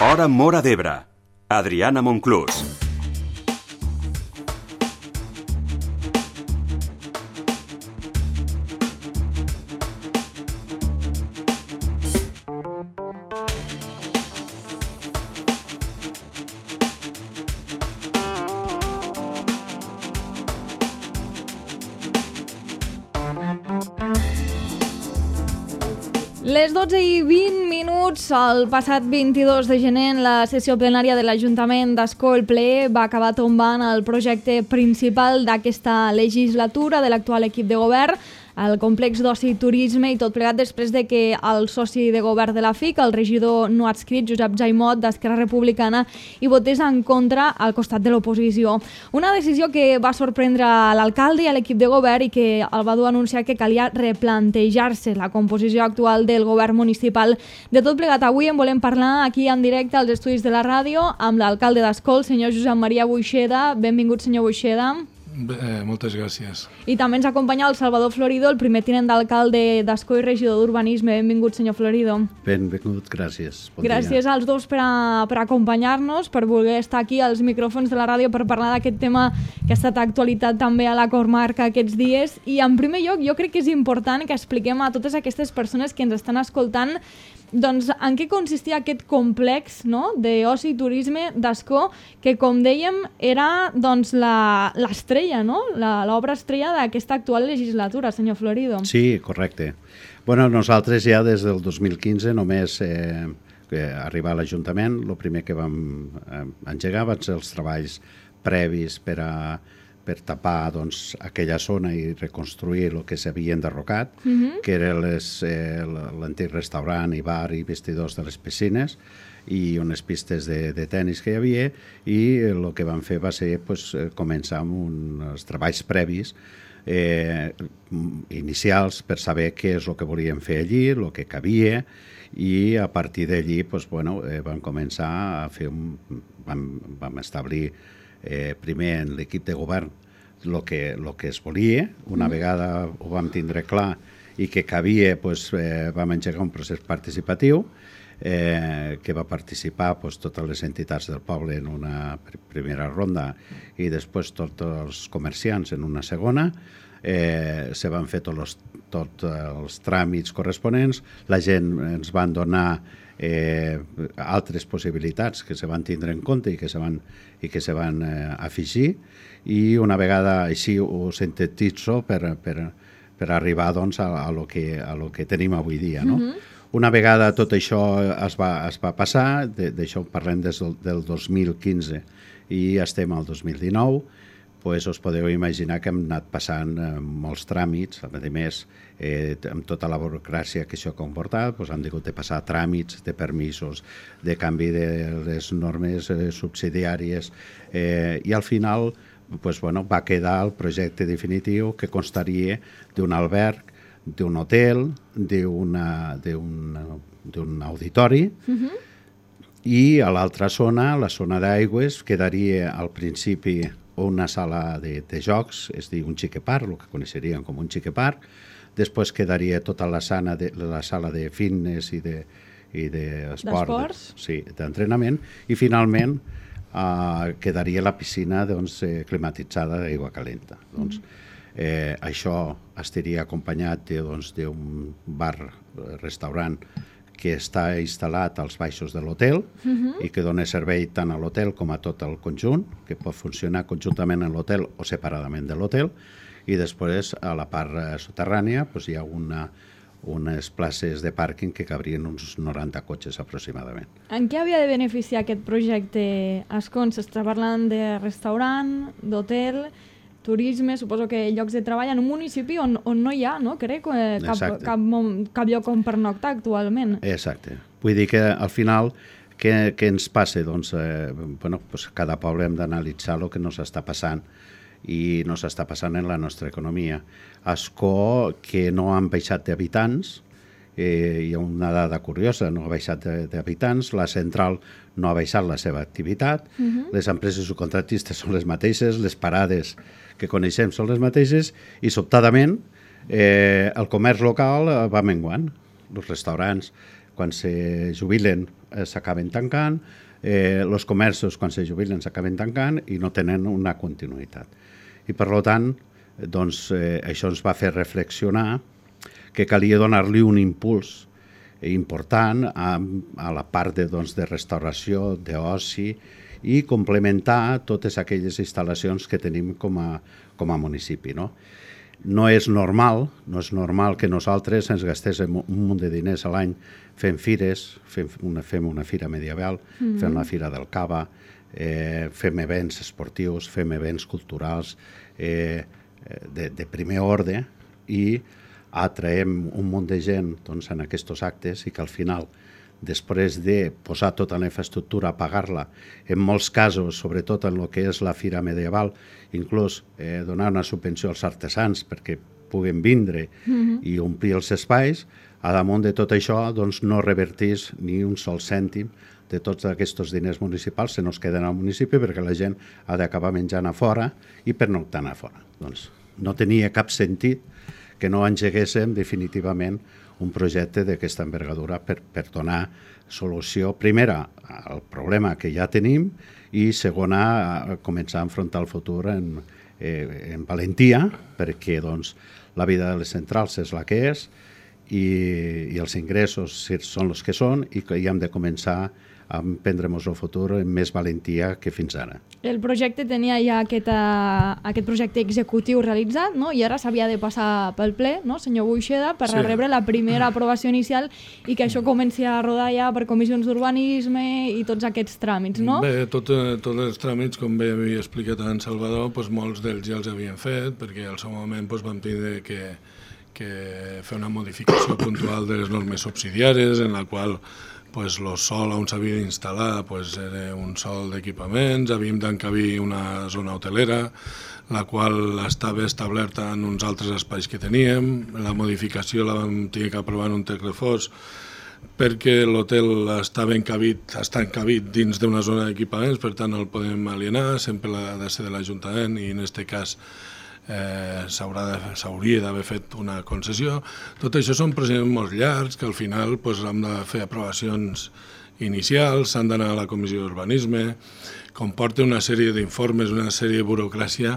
Hora Móra d'Ebre. Adriana Monclús. Les 12:20, el passat 22 de gener, en la sessió plenària de l'Ajuntament d'Ascó, el ple va acabar tombant el projecte principal d'aquesta legislatura de l'actual equip de govern, el complex d'oci i turisme, i tot plegat després de que el soci de govern de la FIC, el regidor no adscrit, Josep Jaimot, d'Esquerra Republicana, hi votés en contra al costat de l'oposició. Una decisió que va sorprendre l'alcalde i a l'equip de govern i que el va dur a anunciar que calia replantejar-se la composició actual del govern municipal. De tot plegat, avui en volem parlar aquí en directe als estudis de la ràdio amb l'alcalde d'Ascó, el senyor Josep Maria Buixeda. Benvingut, senyor Buixeda. Moltes gràcies. I també ens acompanya el Salvador Florido, el primer tinent d'alcalde d'Ascó i regidor d'Urbanisme. Benvingut, senyor Florido. Benvingut, gràcies. Gràcies als dos per acompanyar-nos, per voler estar aquí als micròfons de la ràdio per parlar d'aquest tema que ha estat actualitat també a la comarca aquests dies. I en primer lloc, jo crec que és important que expliquem a totes aquestes persones que ens estan escoltant doncs en què consistia aquest complex, no?, d'oci i turisme d'Ascó, que com dèiem era doncs l'estrella, no?, l'obra estrella d'aquesta actual legislatura, senyor Florido. Sí, correcte. Bueno, nosaltres ja des del 2015 només arribar a l'Ajuntament, el primer que vam engegar van ser els treballs previs per tapar doncs, aquella zona i reconstruir el que s'havia enderrocat, que era l'antic restaurant i bar i vestidors de les piscines i unes pistes de tennis que hi havia, i el que vam fer va ser començar amb uns treballs previs inicials per saber què és el que volíem fer allí, el que cabia, i a partir d'allí vam començar a fer vam establir primer en l'equip de govern el que es volia. Una vegada ho vam tindre clar i que cabia, vam engegar un procés participatiu que va participar totes les entitats del poble en una primera ronda i després tots els comerciants en una segona. Se van fer tots els tràmits corresponents, la gent ens van donar altres possibilitats que se van tindre en compte i que se van afegir, i una vegada així ho sintetitzo per arribar doncs, a lo que tenim avui dia, no? Una vegada tot això es va passar, d'això parlem des del 2015 i estem al 2019, us podeu imaginar que hem anat passant molts tràmits, a més, amb tota la burocràcia que això ha comportat, hem hagut de passar tràmits de permisos, de canvi de les normes subsidiàries, i al final va quedar el projecte definitiu, que constaria d'un alberg, d'un hotel, d'un auditori, i a l'altra zona, la zona d'aigües, quedaria al principi una sala de jocs, és a dir, un xiqueparc, el que coneixerien com un xiqueparc. Després quedaria tota la sala de fitness i d'esports, d'entrenament, i finalment quedaria la piscina climatitzada d'aigua calenta. Això estaria acompanyat d'un bar-restaurant que està instal·lat als baixos de l'hotel i que dona servei tant a l'hotel com a tot el conjunt, que pot funcionar conjuntament en l'hotel o separadament de l'hotel, i després a la part soterrània hi ha unes places de pàrquing que cabrien uns 90 cotxes aproximadament. En què havia de beneficiar aquest projecte Ascó? S'està parlant de restaurant, d'hotel, turisme, suposo que llocs de treball en un municipi on no hi ha, no? Crec, cap lloc on pernoctar actualment. Exacte. Vull dir que al final què ens passa? Cada poble hem d'analitzar el que ens està passant i no s'està passant en la nostra economia. Ascó, que no han baixat d'habitants, hi ha una dada curiosa, no ha baixat d'habitants, la central no ha baixat la seva activitat, les empreses subcontratistes són les mateixes, les parades que coneixem són les mateixes, i sobtadament el comerç local va menguant. Els restaurants, quan se jubilen s'acaben tancant, els comerços quan se jubilen s'acaben tancant i no tenen una continuïtat. I per tant, doncs, això ens va fer reflexionar que calia donar-li un impuls important a la part de restauració, d'oci i complementar totes aquelles instal·lacions que tenim com a municipi. No és normal que nosaltres ens gastéssim un munt de diners a l'any fent fires, fem una fira medieval, fem la fira del cava, fem events esportius, fem events culturals de primer ordre i atraiem un munt de gent en aquests actes i que al final, després de posar tota la infraestructura, pagar-la, en molts casos, sobretot en el que és la fira medieval, inclús donar una subvenció als artesans perquè puguen vindre i omplir els espais, a damunt de tot això no revertís ni un sol cèntim de tots aquests diners municipals se nos queden al municipi perquè la gent ha d'acabar menjant a fora i pernoctant a fora. Doncs no tenia cap sentit que no engeguéssim definitivament un projecte d'aquesta envergadura per donar solució, primera, al problema que ja tenim i segona, començar a enfrontar el futur en valentia, perquè la vida de les centrals és la que és i els ingressos són els que són i que hem de començar a prendre-nos el futur amb més valentia que fins ara. El projecte tenia ja aquest projecte executiu realitzat, no? I ara s'havia de passar pel ple, no, senyor Buixeda, per rebre la primera aprovació inicial i que això comenci a rodar ja per comissions d'urbanisme i tots aquests tràmits, no? Bé, tots els tràmits, com bé havia explicat en Salvador, molts d'ells ja els havien fet, perquè al seu moment vam tenir que fer una modificació puntual de les normes subsidiàries, en la qual el sòl on s'havia d'instal·lar era un sòl d'equipaments, havíem d'encabir una zona hotelera, la qual estava establerta en uns altres espais que teníem. La modificació la vam tenir que aprovar en un text refós perquè l'hotel està encabit dins d'una zona d'equipaments, per tant no el podem alienar, sempre ha de ser de l'Ajuntament i en aquest cas s'hauria d'haver fet una concessió. Tot això són procediments molt llargs que al final hem de fer aprovacions inicials, s'han d'anar a la comissió d'urbanisme, comporta una sèrie d'informes, una sèrie de burocràcia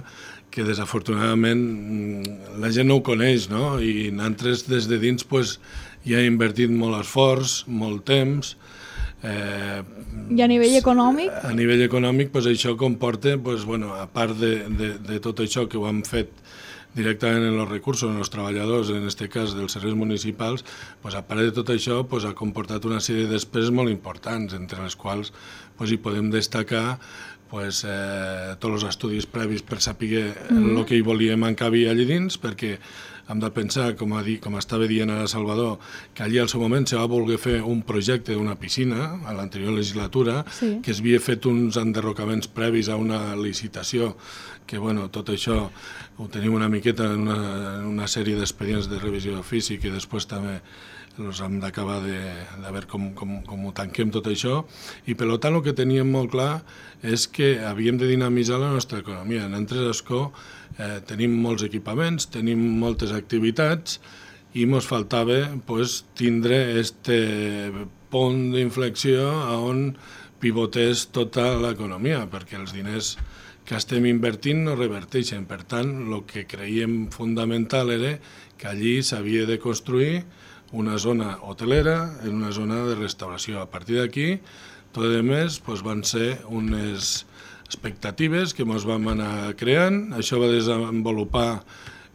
que desafortunadament la gent no ho coneix, no? I nosaltres des de dins ja hem invertit molt esforç, molt temps. I a nivell econòmic? A nivell econòmic això comporta, a part de tot això que ho hem fet directament en els recursos, en els treballadors, en aquest cas dels serveis municipals, a part de tot això ha comportat una sèrie de despeses molt importants, entre les quals hi podem destacar tots els estudis previs per saber el que hi volíem encabir allà dins, perquè hem de pensar, com estava dient ara Salvador, que allí al seu moment se va voler fer un projecte d'una piscina a l'anterior legislatura, que s'havia fet uns enderrocaments previs a una licitació, que tot això ho tenim una miqueta en una sèrie d'expedients de revisió d'ofici que després també hem d'acabar de veure com ho tanquem tot això, i per tant el que teníem molt clar és que havíem de dinamitzar la nostra economia. Nosaltres a Escó tenim molts equipaments, tenim moltes activitats i ens faltava tindre aquest punt d'inflexió on pivotés tota l'economia, perquè els diners que estem invertint no reverteixen. Per tant, el que creiem fundamental era que allí s'havia de construir una zona hotelera en una zona de restauració. A partir d'aquí, tot i més, van ser unes expectatives que ens vam anar creant. Això va desenvolupar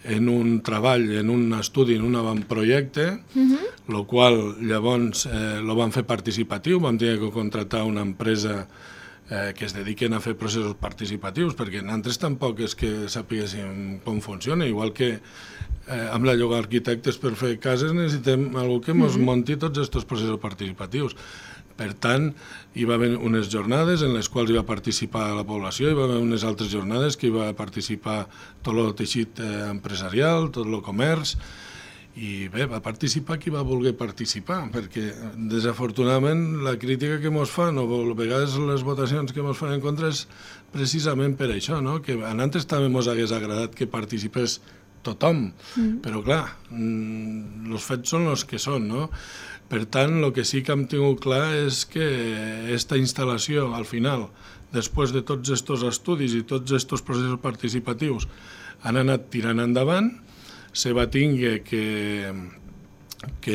en un treball, en un estudi, en un avantprojecte, el qual llavors el vam fer participatiu, vam tenir que contractar una empresa que es dediquen a fer processos participatius, perquè nosaltres tampoc és que sapiguéssim com funciona, igual que amb la lloga d'arquitectes per fer cases necessitem algú que ens munti tots aquests processos participatius. Per tant, hi va haver unes jornades en les quals hi va participar la població, hi va haver unes altres jornades que hi va participar tot el teixit empresarial, tot el comerç, i bé, va participar qui va voler participar, perquè desafortunadament la crítica que ens fan, o a vegades les votacions que ens fan en contra, és precisament per això, no? Que a nosaltres també ens hagués agradat que participés tothom, però clar, els fets són els que són, no? Per tant, el que sí que hem tingut clar és que aquesta instal·lació, al final, després de tots aquests estudis i tots aquests processos participatius, han anat tirant endavant, se va tinguer que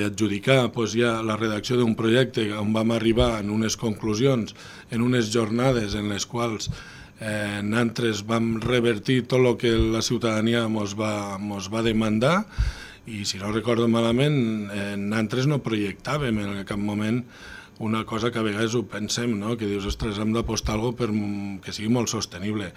adjudicar ja la redacció d'un projecte on vam arribar en unes conclusions, en unes jornades en les quals nosaltres vam revertir tot el que la ciutadania mos va demandar, i si no recordo malament, nosaltres no projectàvem en cap moment una cosa que a vegades ho pensem, no? Que dius, ostres, hem d'apostar alguna cosa que sigui molt sostenible.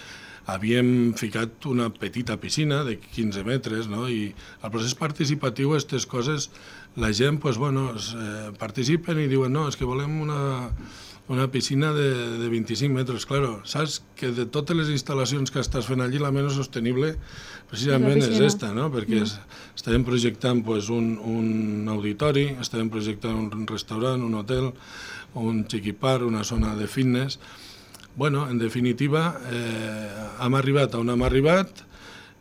Havíem ficat una petita piscina de 15 metres, no? I al procés participatiu, aquestes coses, la gent participen i diuen, no, és que volem una piscina de 25 metres. Claro, saps que de totes les instal·lacions que estàs fent allí, la menys sostenible precisament és esta, no? Perquè estàvem projectant un auditori, estàvem projectant un restaurant, un hotel, un xiquipar, una zona de fitness. Bueno, en definitiva, hem arribat on hem arribat,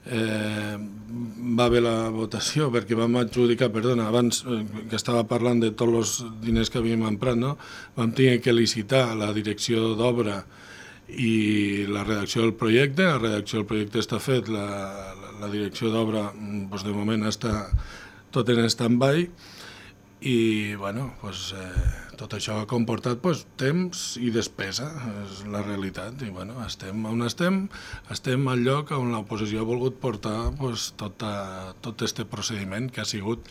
va haver la votació perquè vam adjudicar, abans que estava parlant de tots els diners que havíem emprat, no? Vam tenir que licitar la direcció d'obra i la redacció del projecte. La redacció del projecte està fet, la direcció d'obra de moment està tot en stand-by i tot això ha comportat temps i despesa, és la realitat. I estem on estem al lloc on l'oposició ha volgut portar tot aquest procediment que ha sigut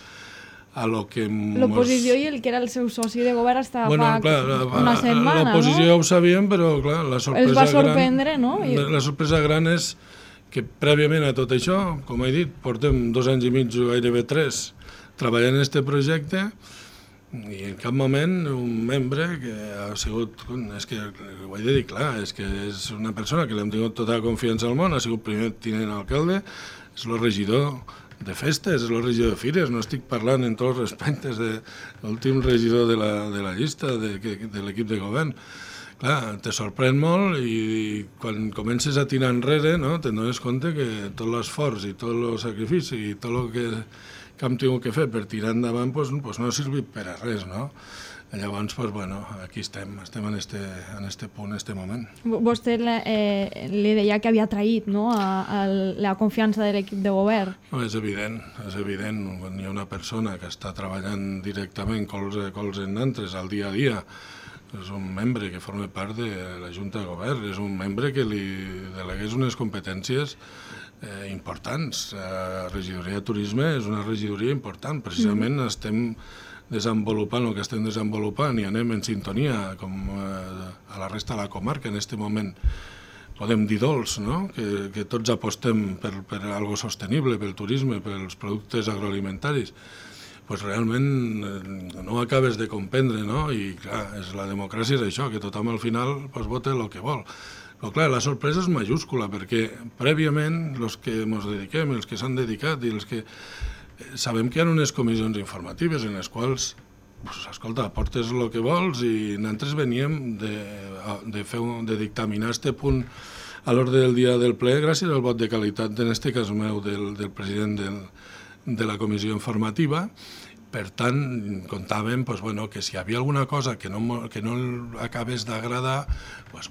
a lo que... L'oposició i el que era el seu soci de govern estava una setmana, no? L'oposició ja ho sabíem, però clar, la sorpresa els va sorprendre, no? La sorpresa gran és que prèviament a tot això, com he dit, portem 2 anys i mig, gairebé 3, treballant en aquest projecte, i en cap moment un membre que ha sigut, és que ho he de dir clar, és que és una persona que l'hem tingut tota la confiança al món, ha sigut primer tinent alcalde, és el regidor de festes, és el regidor de fires, no estic parlant en tots els respectes de l'últim regidor de la llista de l'equip de govern. Clar, te sorprèn molt i quan comences a tirar enrere, no, te'n dones compte que tot l'esforç i tot el sacrifici i tot el que hem tingut que fer per tirar endavant no ha servit per a res, no? Llavors, aquí estem en este punt, en este moment. Vostè li deia que havia traït, no?, la confiança de l'equip de govern. No, és evident. Quan hi ha una persona que està treballant directament colze a colze en nosaltres al dia a dia, és un membre que forma part de la Junta de Govern, és un membre que li delegués unes competències importants. La regidoria de turisme és una regidoria important. Precisament estem desenvolupant el que estem desenvolupant i anem en sintonia com a la resta de la comarca. En aquest moment podem dir dolç, no? Que tots apostem per algo sostenible, pel turisme, pels productes agroalimentaris. Realment no ho acabes de comprendre, no? I clar, la democràcia és això, que tothom al final vota el que vol. Però clar, la sorpresa és majúscula, perquè prèviament els que ens dediquem, els que s'han dedicat i els que sabem que hi ha unes comissions informatives en les quals, escolta, aportes el que vols i nosaltres veníem de dictaminar este punt a l'ordre del dia del ple gràcies al vot de qualitat, en aquest cas meu, del president de la comissió informativa. Per tant, comptàvem que si hi havia alguna cosa que no acabés d'agradar,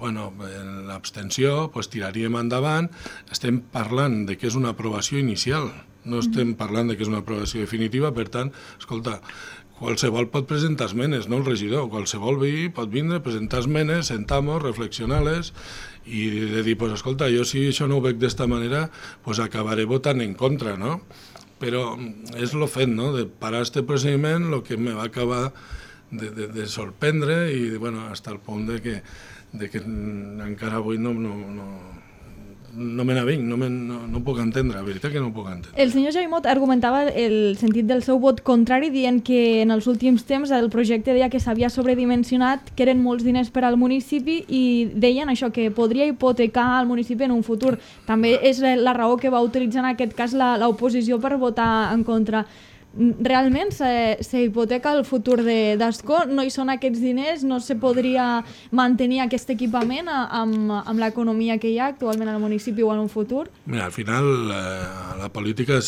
en l'abstenció tiraríem endavant. Estem parlant de que és una aprovació inicial, no estem parlant de que és una aprovació definitiva. Per tant, escolta, qualsevol pot presentar esmenes, no el regidor, qualsevol veí pot vindre, presentar esmenes, sentar-nos, reflexionar-les i de dir, escolta, jo si això no ho veig d'esta manera, acabaré votant en contra, no? Però és el fet, no?, de parar aquest procediment, el que me va acabar de sorprendre i, fins al punt de que encara avui no me n'avinc, no ho puc entendre, la veritat que no ho puc entendre. El senyor Jaimot argumentava el sentit del seu vot contrari, dient que en els últims temps el projecte deia que s'havia sobredimensionat, que eren molts diners per al municipi i deien això, que podria hipotecar el municipi en un futur. També és la raó que va utilitzar en aquest cas l'oposició per votar en contra. Realment s'hipoteca el futur d'Ascó? No hi són aquests diners? No se podria mantenir aquest equipament amb l'economia que hi ha actualment al municipi o en un futur? Mira, al final la política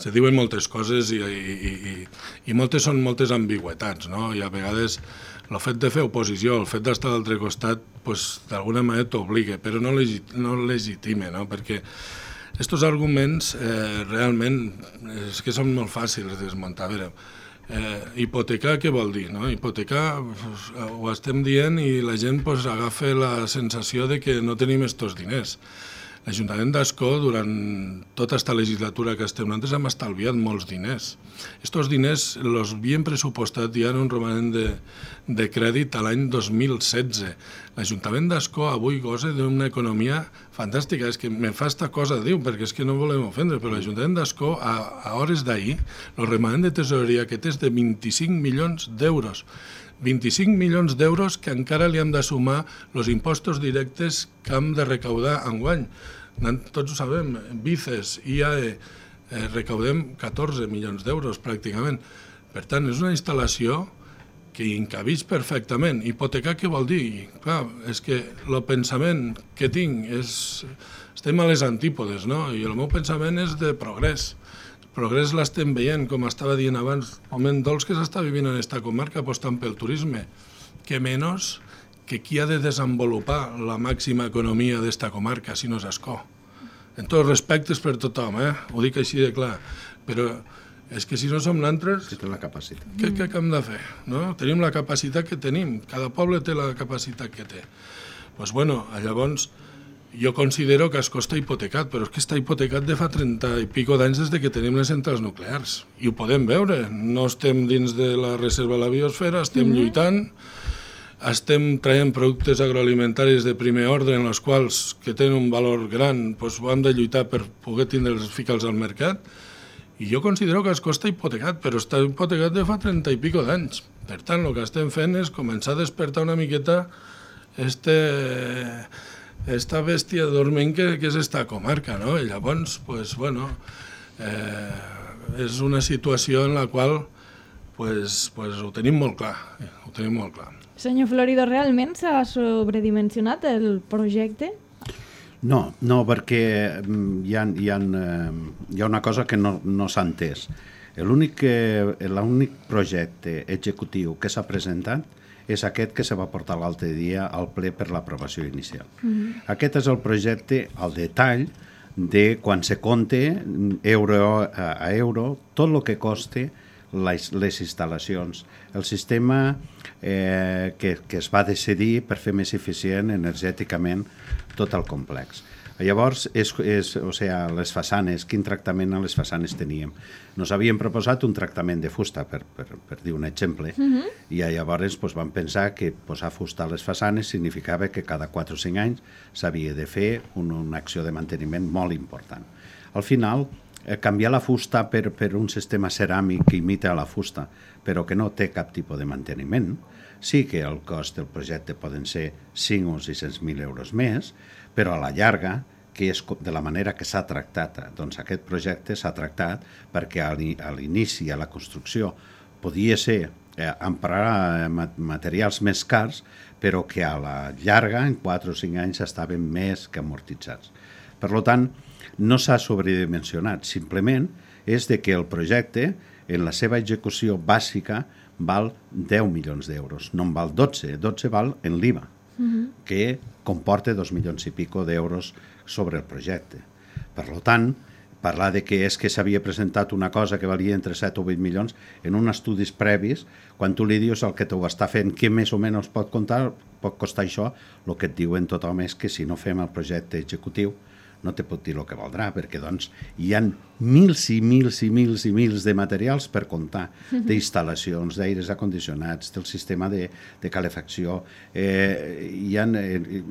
se diuen moltes coses i moltes són moltes ambigüetats, no? I a vegades el fet de fer oposició, el fet d'estar a l'altre costat, pues, d'alguna manera t'obliga, però no legitime, no? Perquè aquests arguments realment és que són molt fàcils de desmuntar. A veure, hipotecar què vol dir? No? Hipotecar ho estem dient i la gent pues, agafa la sensació de que no tenim estos diners. L'Ajuntament d'Ascó, durant tota aquesta legislatura que estem, nosaltres hem estalviat molts diners. Estos diners els havien pressupostat ja en un romanent de crèdit a l'any 2016. L'Ajuntament d'Ascó avui gosa d'una economia fantàstica. És que me fa esta cosa, diu, perquè és que no volem ofendre, però l'Ajuntament d'Ascó, a hores d'ahir, el romanent de tesoreria que té és de 25 milions d'euros. 25 milions d'euros que encara li hem de sumar els impostos directes que hem de recaudar enguany. Tots ho sabem, BICES, IAE, recaudem 14 milions d'euros pràcticament. Per tant, és una instal·lació que hi encabeix perfectament. Hipotecar què vol dir? Clar, és que el pensament que tinc és... Estem a les antípodes, no? I el meu pensament és de progrés. Progrés l'estem veient, com estava dient abans, el moment dolç que s'està vivint en aquesta comarca apostant pel turisme, que menys que qui ha de desenvolupar la màxima economia d'esta comarca, si no és Ascó. En tots respectes per tothom, ho dic així de clar, però és que si no som nosaltres, que té la capacitat. Què hem de fer? No? Tenim la capacitat que tenim, cada poble té la capacitat que té. Doncs bueno, llavors, jo considero que Ascó està hipotecat, però és que està hipotecat de fa 30 i pico d'anys des que tenim les centrals nuclears. I ho podem veure. No estem dins de la reserva de la biosfera, estem lluitant, estem traient productes agroalimentaris de primer ordre en els quals, que tenen un valor gran, doncs ho hem de lluitar per poder ficar-los al mercat. I jo considero que Ascó està hipotecat, però està hipotecat de fa 30 i pico d'anys. Per tant, el que estem fent és començar a despertar una miqueta esta bèstia dorment que és esta comarca, no? I llavors, pues, bueno, és una situació en la qual pues, ho tenim molt clar, Senyor Florido, realment s'ha sobredimensionat el projecte? No, perquè hi ha una cosa que no s'ha entès. L'únic projecte executiu que s'ha presentat és aquest que se va portar l'altre dia al ple per l'aprovació inicial. Aquest és el projecte al detall de quan se compte euro a euro tot el que costa les instal·lacions, el sistema que es va decidir per fer més eficient energèticament tot el complex. Llavors, les façanes, quin tractament a les façanes teníem? Nos havíem proposat un tractament de fusta, per dir un exemple, i llavors vam pensar que posar fusta a les façanes significava que cada 4 o 5 anys s'havia de fer una acció de manteniment molt important. Al final, canviar la fusta per un sistema ceràmic que imita la fusta, però que no té cap tipus de manteniment, sí que el cost del projecte poden ser 5 o 600.000 euros més, però a la llarga, que és de la manera que s'ha tractat, doncs aquest projecte s'ha tractat perquè a l'inici, a la construcció, podia ser emprar materials més cars, però que a la llarga, en 4 o 5 anys, estaven més que amortitzats. Per tant, no s'ha sobredimensionat, simplement és de que el projecte, en la seva execució bàsica, val 10 milions d'euros, no en val 12, 12 val en l'IVA, que comporta 2 milions i pico d'euros sobre el projecte. Per tant, parlar de que és que s'havia presentat una cosa que valia entre 7 o 8 milions en uns estudis previs, quan tu li dius el que t'ho està fent, què més o menys pot costar això, el que et diuen tothom és que si no fem el projecte executiu no te pot dir el que valdrà, perquè doncs hi ha mils i mils i mils i mils de materials per comptar, d'instal·lacions, d'aires acondicionats, del sistema de calefacció.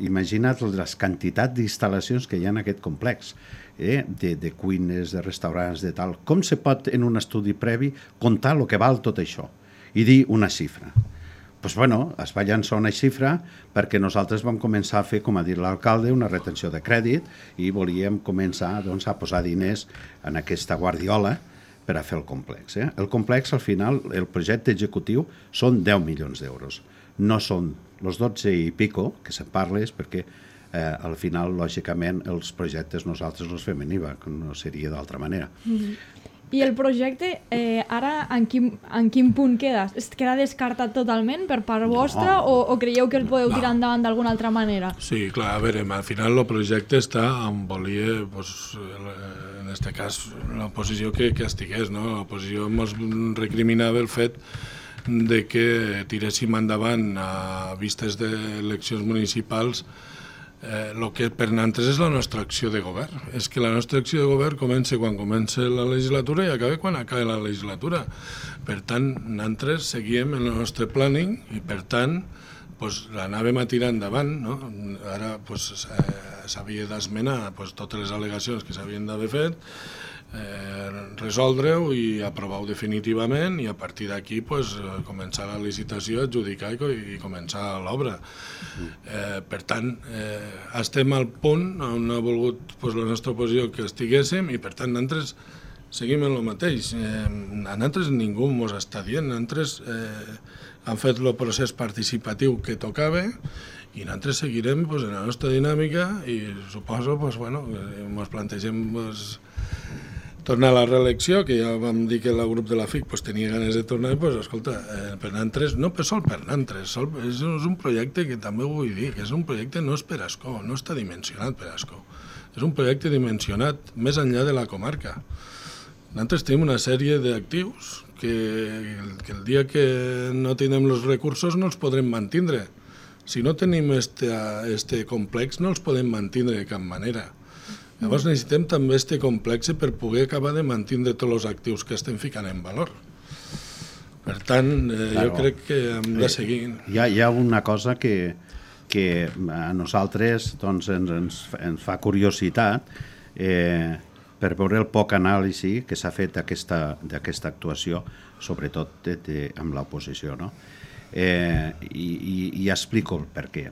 Imagina't les quantitats d'instal·lacions que hi ha en aquest complex, de cuines, de restaurants, de tal. Com se pot, en un estudi previ, comptar el que val tot això i dir una xifra? Doncs bueno, es va llançar una xifra perquè nosaltres vam començar a fer, com ha dit l'alcalde, una retenció de crèdit i volíem començar a posar diners en aquesta guardiola per a fer el complex. El complex, al final, el projecte executiu són 10 milions d'euros. No són els 12 i pico que se'n parles perquè al final, lògicament, els projectes nosaltres els fem en IVA, que no seria d'altra manera. I el projecte, ara, en quin punt queda? Es queda descartat totalment per part vostra o creieu que el podeu tirar endavant d'alguna altra manera? Sí, clar, a veure, al final el projecte està on volia, pues, en aquest cas, l'oposició que estigués, no? L'oposició ens recriminava el fet de que tiréssim endavant a vistes d'eleccions municipals el que per nosaltres és la nostra acció de govern. És que la nostra acció de govern comença quan comença la legislatura i acaba quan acaba la legislatura. Per tant, nosaltres seguíem el nostre planning i, per tant, l'anàvem a tirar endavant. No? Ara s'havia d'esmenar totes les al·legacions que s'havien d'haver fet, resoldre-ho i aprovar-ho definitivament i a partir d'aquí començar la licitació, adjudicar i començar l'obra. Per tant, estem al punt on ha volgut la nostra oposició que estiguéssim i per tant nosaltres seguim en el mateix. A nosaltres ningú ens està dient, nosaltres hem fet el procés participatiu que tocava i nosaltres seguirem en la nostra dinàmica i suposo ens plantegem tornar a la reelecció, que ja vam dir que el grup de la FIC tenia ganes de tornar, escolta, per nosaltres, no sol per nosaltres, és un projecte que també ho vull dir, que és un projecte no és per Ascó, no està dimensionat per Ascó, és un projecte dimensionat més enllà de la comarca. Nosaltres tenim una sèrie d'actius que el dia que no tenim els recursos no els podrem mantindre. Si no tenim este complex no els podem mantindre de cap manera. Llavors necessitem també aquest complex per poder acabar de mantindre tots els actius que estem ficant en valor. Per tant, jo crec que hem de seguir. Hi ha una cosa que a nosaltres ens fa curiositat per veure el poc anàlisi que s'ha fet d'aquesta actuació, sobretot amb l'oposició. No? I explico el per què.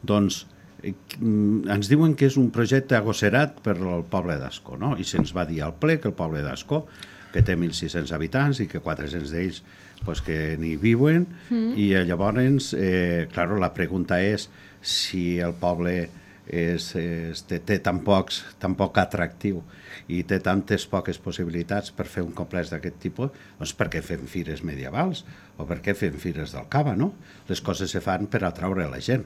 Doncs ens diuen que és un projecte agosserat per al poble d'Ascó, no? I se'ns va dir al ple que el poble d'Ascó, que té 1.600 habitants i que 400 d'ells que n'hi viuen, i llavors, la pregunta és si el poble té tan poc atractiu i té tantes poques possibilitats per fer un complex d'aquest tipus, doncs per què fem fires medievals o per què fem fires del Cava, no? Les coses se fan per atraure la gent.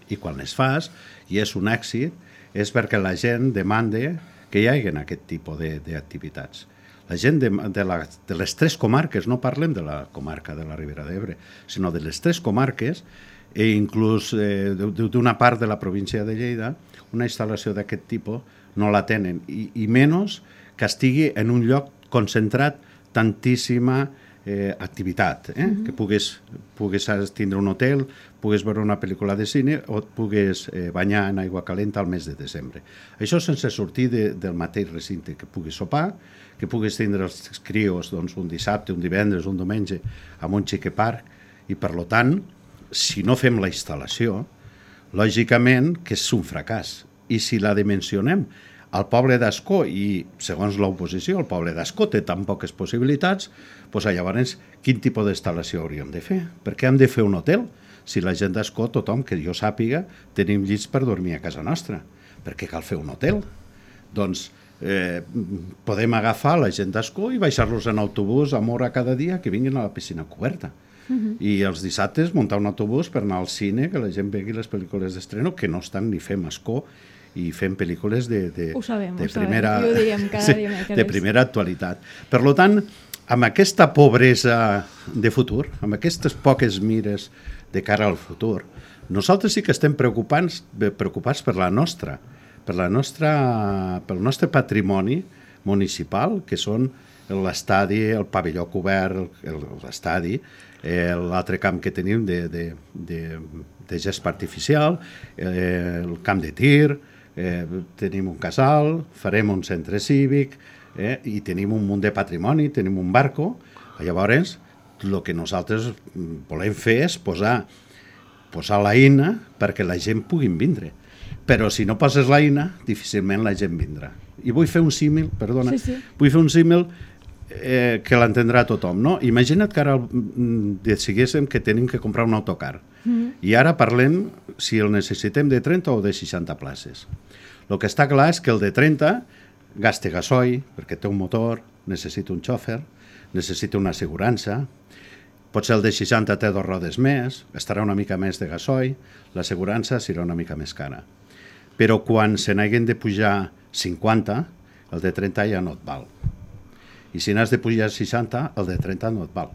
I quan les fas, i és un èxit, és perquè la gent demanda que hi hagi aquest tipus d'activitats. La gent de les tres comarques, no parlem de la comarca de la Ribera d'Ebre, sinó de les tres comarques, i inclús d'una part de la província de Lleida, una instal·lació d'aquest tipus no la tenen, i menys que estigui en un lloc concentrat tantíssima activitat, que puguis tindre un hotel, puguis veure una pel·lícula de cine o et puguis banyar en aigua calenta al mes de desembre. Això sense sortir del mateix recinte, que puguis sopar, que puguis tindre els crios un dissabte, un divendres, un diumenge en un xique parc, i per tant, si no fem la instal·lació, lògicament que és un fracàs. I si la dimensionem al poble d'Ascó, i segons l'oposició el poble d'Ascó té tan poques possibilitats, doncs llavors quin tipus d'instal·lació hauríem de fer? Per què hem de fer un hotel? Si la gent d'Ascó, tothom que jo sàpiga, tenim llits per dormir a casa nostra. Per què cal fer un hotel? Doncs podem agafar la gent d'Ascó i baixar-los en autobús a Mora cada dia que vinguin a la piscina coberta. I els dissabtes muntar un autobús per anar al cine, que la gent vegi les pel·lícules d'estreno, que no estan ni fem Ascó, i fem pel·lícules de primera actualitat. Per tant, amb aquesta pobresa de futur, amb aquestes poques mires de cara al futur, nosaltres sí que estem preocupats pel nostre patrimoni municipal, que són l'estadi, el pavelló cobert, l'estadi, l'altre camp que tenim de gespa artificial, el camp de tir, tenim un casal, farem un centre cívic i tenim un munt de patrimoni, tenim un barco. Llavors, el que nosaltres volem fer és posar l'eina perquè la gent pugui vindre. Però si no poses l'eina, difícilment la gent vindrà. I vull fer un símil, perdona, vull fer un símil que l'entendrà tothom, no? Imagina't que ara decidíssim que tenim que comprar un autocar i ara parlem si el necessitem de 30 o de 60 places. El que està clar és que el de 30 gasta gasoil perquè té un motor, necessita un xòfer, necessita una assegurança, potser el de 60 té 2 rodes més, estarà una mica més de gasoil, l'assegurança serà una mica més cara. Però quan se n'hagin de pujar 50, el de 30 ja no et val. I si n'has de pujar 60, el de 30 no et val.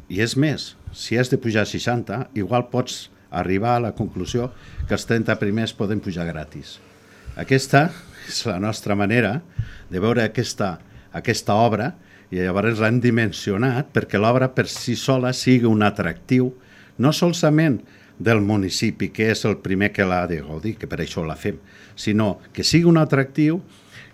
I és més, si has de pujar 60, igual pots arribar a la conclusió que els 30 primers poden pujar gratis. Aquesta és la nostra manera de veure aquesta obra, i llavors l'hem dimensionat perquè l'obra per si sola sigui un atractiu, no solament del municipi, que és el primer que l'ha de gaudir, que per això la fem, sinó que sigui un atractiu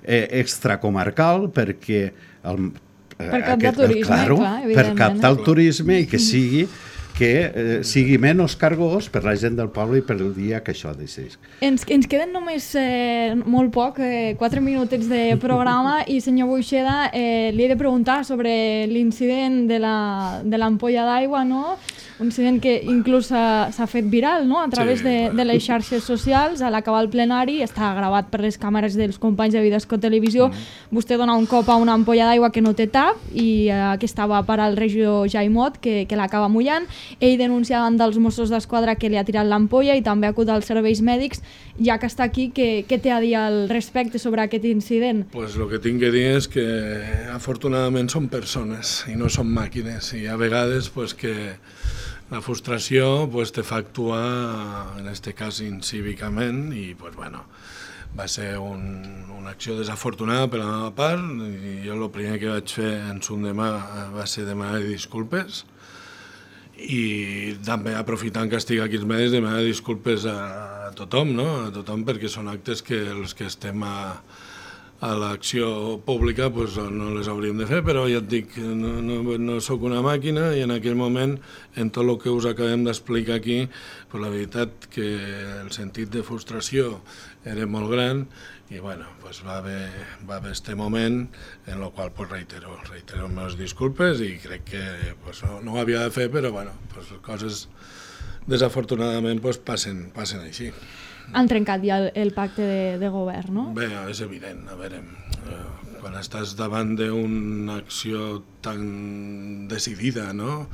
extracomarcal perquè per captar turisme, clar, evidentment. Per captar el turisme i que sigui menys cargós per la gent del poble i per el dia que això decideix. Ens queden només molt poc, 4 minutets de programa, i senyor Buixeda, li he de preguntar sobre l'incident de l'ampolla d'aigua, no? Un incident que inclús s'ha fet viral, no? A través de les xarxes socials. A l'acabar el plenari, està gravat per les càmeres dels companys de Vidasco Televisió, vostè dona un cop a una ampolla d'aigua que no té tap i que estava per al regidor Jaimot, que l'acaba mullant. Ell denuncia davant dels Mossos d'Esquadra que li ha tirat l'ampolla i també acut als serveis mèdics. Ja que està aquí, què té a dir al respecte sobre aquest incident? Pues lo que tinc que dir és que afortunadament són persones i no són màquines, i a vegades pues, que la frustració pues, te fa actuar, en aquest cas incívicament, i pues, bueno, va ser una acció desafortunada per la meva part, i jo el primer que vaig fer en son demà va ser demanar disculpes, i també aprofitant que estic aquí als medis demanar disculpes a tothom, no? A tothom, perquè són actes que els que estem a l'acció pública pues, no les hauríem de fer, però ja et dic, no sóc una màquina, i en aquell moment, en tot el que us acabem d'explicar aquí, pues, la veritat que el sentit de frustració era molt gran, i bueno, pues, va haver este moment en el qual pues, reitero les meves disculpes, i crec que pues, no ho havia de fer, però bueno, pues, coses desafortunadament pues, passen així. Han trencat ja el pacte de govern, no? Bé, és evident. A veure, quan estàs davant d'una acció tan decidida, no?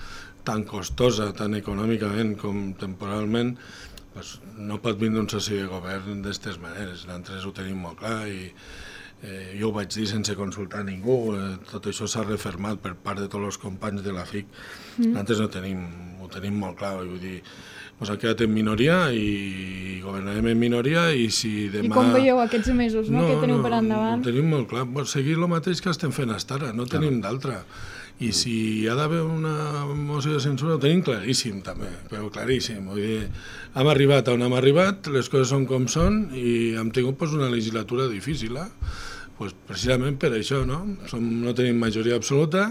Tan costosa, tan econòmicament com temporalment, pues, no pot vindre un soci de govern d'aquestes maneres. Nosaltres ho tenim molt clar i jo ho vaig dir sense consultar ningú. Tot això s'ha refermat per part de tots els companys de la FIC. Nosaltres ho tenim molt clar, vull dir, ens ha quedat en minoria i governarem en minoria, i si demà... I com veieu aquests mesos, no? Que teniu per endavant? Ho tenim molt clar, seguir el mateix que estem fent fins ara, no tenim d'altra. I si hi ha d'haver una moció de censura, ho tenim claríssim també, però claríssim. Vull dir, hem arribat on hem arribat, les coses són com són, i hem tingut pues, una legislatura difícil, pues, precisament per això, no? No tenim majoria absoluta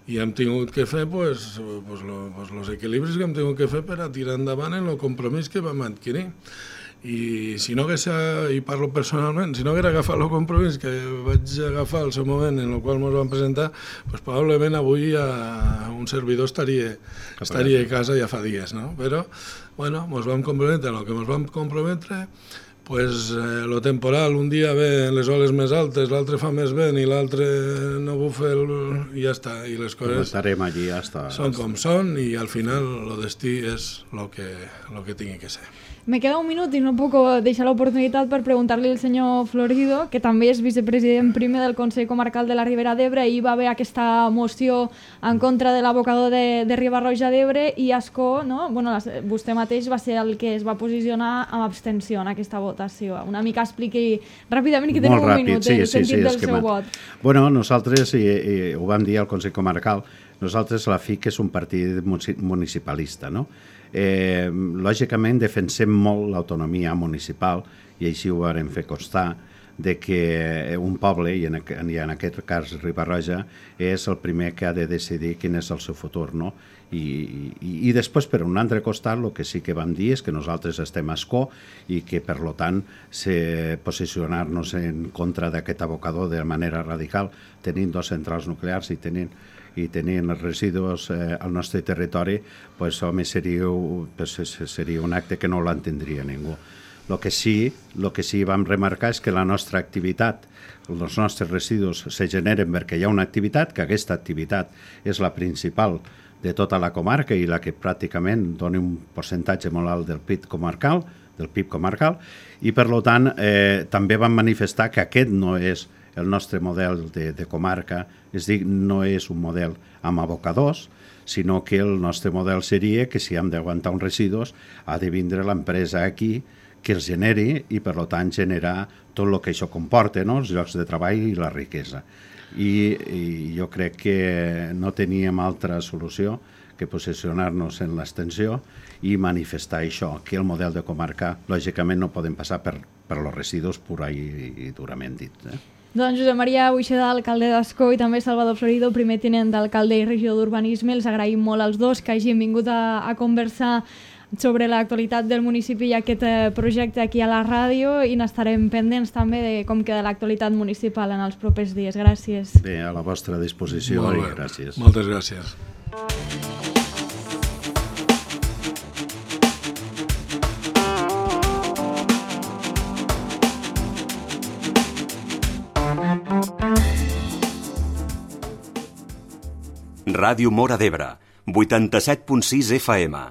i hem tingut que fer pues, els equilibris que hem tingut que fer per a tirar endavant en el compromís que vam adquirir. I si no hagués, i parlo personalment, si no hagués agafat el compromís que vaig agafar al seu moment en el qual ens vam presentar, pues, probablement avui un servidor estaria a casa ja fa dies, no? Però, bueno, ens vam comprometre en el que ens vam comprometre. Pues lo temporal, un dia ve les oles més altes, l'altre fa més vent i l'altre no bufa i ja està, i les coses allí hasta... són com són, i al final el destí és el que tingui que ser. Me queda un minut i no puc deixar l'oportunitat per preguntar-li al senyor Florido, que també és vicepresident primer del Consell Comarcal de la Ribera d'Ebre. Hi va haver aquesta moció en contra de l'abocador de Riba-roja d'Ebre, i Ascó, no? Bueno, vostè mateix va ser el que es va posicionar amb abstenció en aquesta votació. Una mica expliqui ràpidament, que tenim un minut, el sentit del seu vot. Bueno, nosaltres, i ho vam dir al Consell Comarcal, nosaltres la FIC és un partit municipalista, no? Lògicament defensem molt l'autonomia municipal, i així ho vam fer constar, de que un poble, i en aquest cas Riba-roja, és el primer que ha de decidir quin és el seu futur, no? I després, per un altre costat, el que sí que vam dir és que nosaltres estem a Ascó i que, per tant, posicionar-nos en contra d'aquest abocador de manera radical, tenint 2 centrals nuclears i tenint els residus al nostre territori, pues, home, seria un acte que no l'entendria ningú. El que sí vam remarcar és que la nostra activitat, els nostres residus se generen perquè hi ha una activitat, que aquesta activitat és la principal de tota la comarca i la que pràcticament dona un percentatge molt alt del PIB comarcal, i per tant també vam manifestar que aquest no és el nostre model de comarca, és a dir, no és un model amb abocadors, sinó que el nostre model seria que si hem d'aguantar uns residus ha de vindre l'empresa aquí que els generi i per tant generar tot el que això comporta, no? Els llocs de treball i la riquesa. I jo crec que no teníem altra solució que posicionar-nos en l'extensió i manifestar això, que el model de comarca lògicament no podem passar per els residus pura i durament dit. Doncs Josep Maria Buixeda, alcalde d'Ascó, i també Salvador Florido, primer tinent d'alcalde i regidor d'Urbanisme. Els agraïm molt als dos que hagin vingut a conversar sobre l'actualitat del municipi i aquest projecte aquí a la ràdio, i n'estarem pendents també de com queda l'actualitat municipal en els propers dies. Gràcies. Bé, a la vostra disposició i gràcies. Moltes gràcies. Ràdio Móra d'Ebre, 87.6 FM.